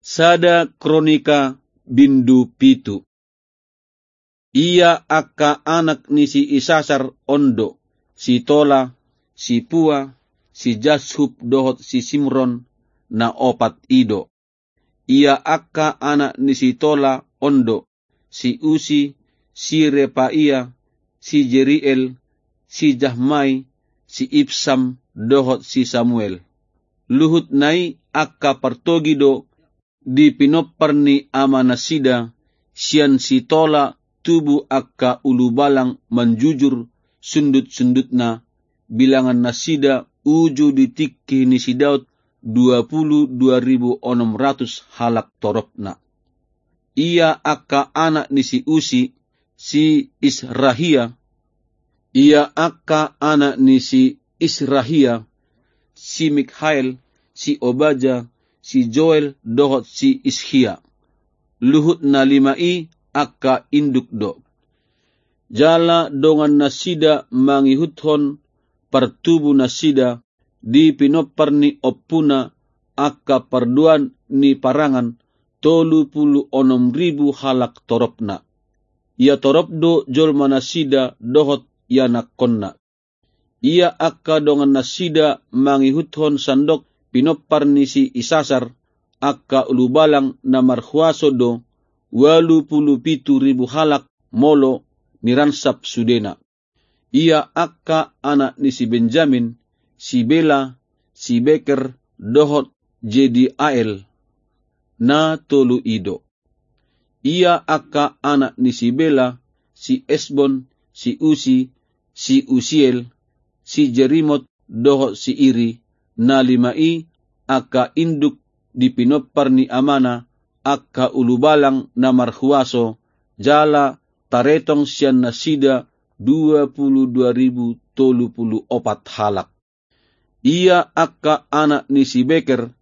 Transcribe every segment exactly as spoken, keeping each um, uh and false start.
Sada Kronika bindu pitu. Ia angka anak ni si Isasar on do: si Tola, si Pua, si Jashub dohot si Simron, na opat i do. Ia angka anak ni si Tola on do: si Usi, si Repaia, si Jeriel, si Jahmai, si Ibsam, dohot si Samuel. Luhutna i angka partogi do di pinompar ni amanasida. Sian si Tola tubu angka ulubalang manjujur sundut-sundutna, bilangannasida uju di tingki ni si Daud dua pulu dua ribu onom ratus halak toropna. Ia angka anak ni si Usi: si Israhia. Ia angka anak ni si Israhia: si Mikhael, si Obaja, si Joel dohot si Ishia. Luhut na lima i angka induk do. Jala dongannasida mangihuthon partubunasida di pinompar ni ompuna angka parduan ni parangan tolu pulu onom ribu halak toropna. Ia torop do jolmanasida dohot ianakkonna. Ia angka dongannasida mangihuthon sandok pinompar ni si Isasar, angka ulubalang na marhuaso do, ualu pulu pitu ribu halak molo niransap sudena. Ia angka anak ni si Benjamin: si Bela, si Beker, dohot Jediael, na tolu i do. Ia angka anak ni si Bela: si Esbon, si Usi, si Usiel, si Jerimot, dohot si Iri. Na lima i angka induk di pinompar ni amana, angka ulubalang na marhuaso, jala taretong sian nasida dua pulu dua ribu tolu pulu opat halak. Ia angka anak ni si Beker: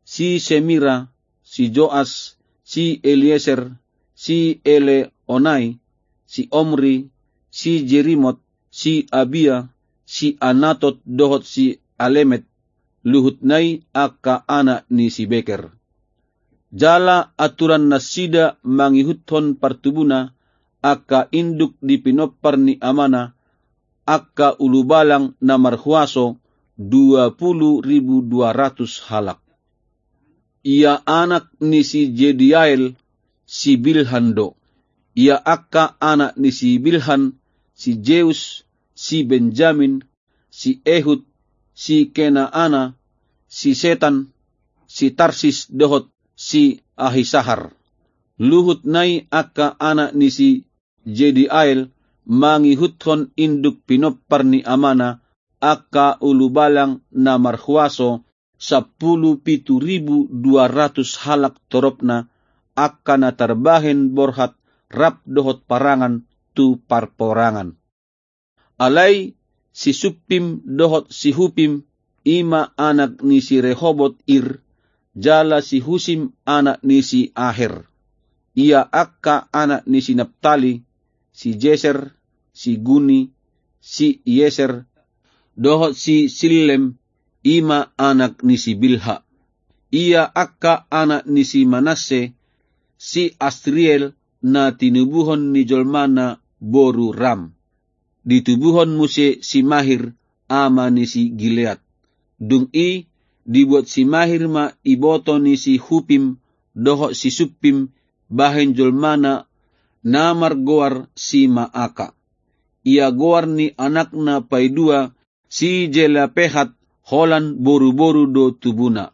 si Semira, si Joas, si Elieser, si Eleonai, si Omri, si Jerimot, si Abia, si Anatot dohot si Alemet. Luhutna i angka anak ni si Beker. Jala aturannasida mangihuthon partubuna, angka induk di pinompar ni amana, angka ulubalang na marhuaso, dua pulu ribu dua ratus halak. Ia anak ni si Jediael: si Bilhan do. Ia angka anak ni si Bilhan: si Jeus, si Benjamin, si Ehud, si Kenaana, si Setan, si Tarsis dohot si Ahisahar. Luhutna i angka anak ni si Jediael mangihuthon induk pinompar ni amana, angka ulubalang na marhuaso, sampulu pitu ribu dua ratus halak toropna, angka na tarbahen borhat rap dohot parangan tu parporangan. Alai si Suppim dohot si Hupim, i ma anak ni si Rehobot Ir, jala si Husim anak ni si Aher. Ia angka anak ni si Naptali: si Jeser, si Guni, si Ieser, dohot si Sillem, i ma anak ni si Bilha. Ia angka anak ni si Manasse: si Asriel, na tinubuhon ni jolmana boru Ram. Ditubuhon muse si Mahir, ama ni si Gilead. Dung i dibuat si Mahir ma iboto ni si Hupim dohot si Suppim bahen jolmana na margoar si Maaka. Ia goar ni anakna paidua si Jelapehat, holan boruboru do tubuna.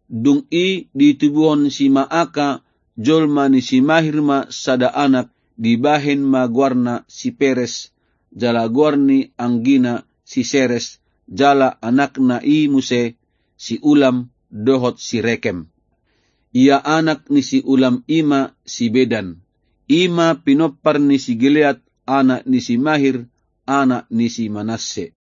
Dung i ditubuhon si Maaka, jolma ni si Mahir ma sada anak, dibahen ma goarna si Peres, jala goar ni anggina si Seres, jala anakna i muse si Ulam dohot si Rekem. Ia anak ni si Ulam i ma si Bedan. I ma pinompar ni si Gilead, anak ni si Mahir, anak ni si Manasse.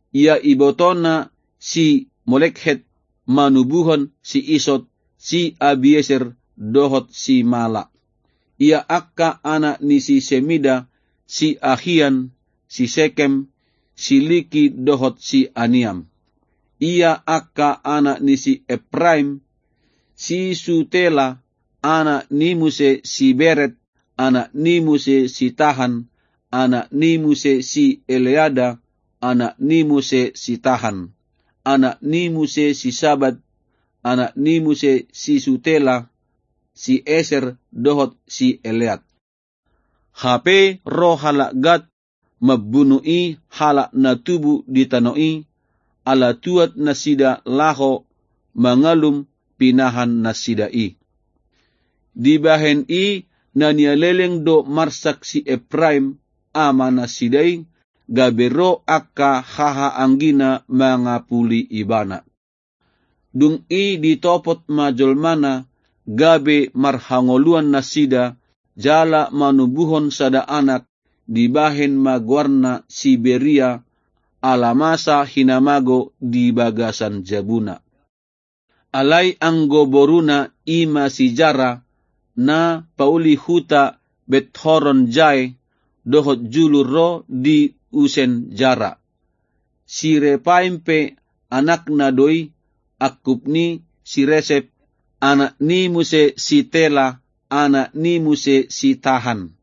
Ia ibotona si Molekhet manubuhon si Isot, si Abieser dohot si Mala. Ia angka anak ni si Semida: si Ahian, si Sekem, si Liki dohot si Aniam. Ia angka anak ni si Epraim: si Sutela, anak ni muse si Beret, anak ni muse si Tahan, anak ni muse si Eleada, anak ni muse si Tahan, anak ni muse si Sabat, anak ni muse si Sutela, si Eser dohot si Eleat. Hape ro halak Gat mambunu i halak na tubu di tano i, ala tuat nasida laho mangalum pinahan nasida i. Dibahen i na nialeleng do marsak si Epraim, ama nasida i, gabe ro angka hahaanggina mangapuli ibana. Dung i ditopot ma jolmana, gabe marhangoluan nasida, jala manubuhon sada anak, dibahen ma goarna si Beria, ala masa hinamago di bagasan jabuna. Alai anggo boruna i ma si Jara, na pauli huta Bethoron Jae, dohot julu ro di usen Jara. Si Repaim pe anakna do i, angkup ni si Resep, anak ni muse si Tela, anak ni muse si Tahan,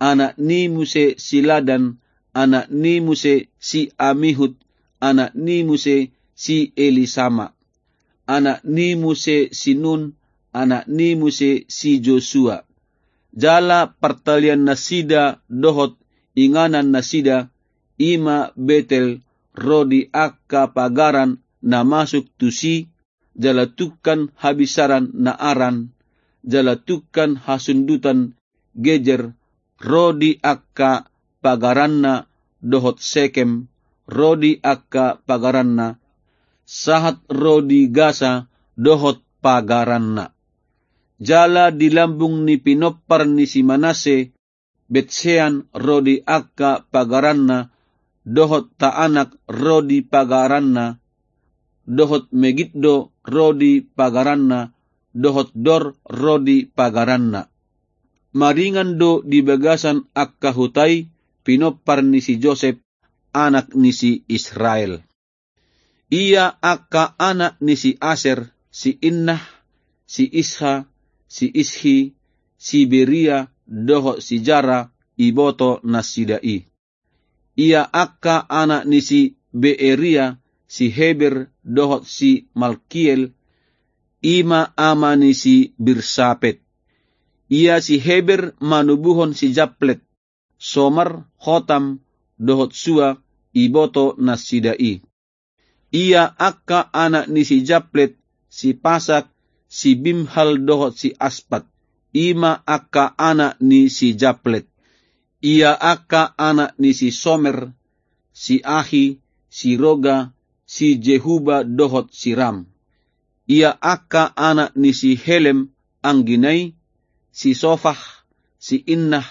anak ni muse si Ladan, anak ni muse si Amihud, anak ni muse si Elisama, anak ni muse si Nun, anak ni muse si Josua. Jala partalian nasida dohot inganan nasida, i ma Betel, ro di angka pagaran na masuk tusi, jala tungkan habinsaran Naaran, jala tungkan hasundutan Gejer, ro di angka pagaranna, dohot Sekem, ro di angka pagaranna, sahat ro di Gasa dohot pagaranna. Jala di lambung ni pinompar ni si Manasse, Betsean ro di angka pagaranna, dohot Taanak ro di pagaranna, dohot Megiddo ro di pagaranna, dohot Dor ro di pagaranna. Maringan do di bagasan angka huta i pinompar ni si Josep, anak ni si Israel. Ia angka anak ni si Aser, si Innah, si Isha, si Ishi, si Beria, dohot si Jara, iboto nasida i. Ia angka anak ni si Beeria, si Heber, dohot si Malkiel, i ma ama ni si Birsapet. Ia si Heber manubuhon si Japlet, Somer, Hotam, dohot Sua, iboto nasida i. Ia angka anak ni si Japlet, si Pasak, si Bimhal dohot si Aspat, i ma angka anak ni si Japlet. Ia angka anak ni si Somer, si Ahi, si Roga, si Jehuba dohot si Ram. Ia angka anak ni si Helem anggina i, si Sofah, si Innah,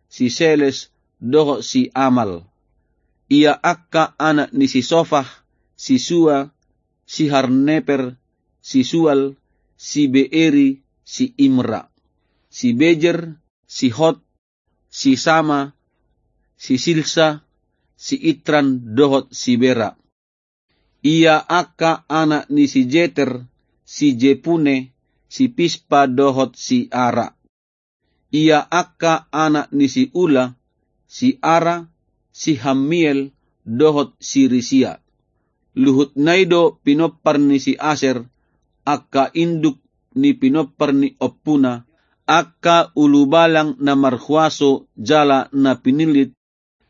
si Seles, dohot si Amal. Ia angka anak ni si Sofah, si Sua, si Harneper, si Sual, si Beeri, si Imra, si Bejer, si Hot, si Sama, si Silsa, si Itran, dohot si Bera. Ia angka anak ni si Jeter, si Jepune, si Pispa, dohot si Ara. Ia angka anak ni si Ula, si Ara, si Hammiel, dohot si Risia. Luhutna i do pinompar ni si Aser, angka induk ni pinompar ni ompuna, angka ulubalang na marhuaso jala na pinillit,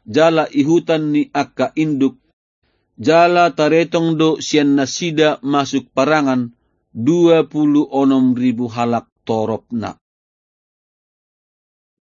jala ihutan ni angka induk, jala taretong do sian nasida masuk parangan dua pulu onom ribu halak toropna.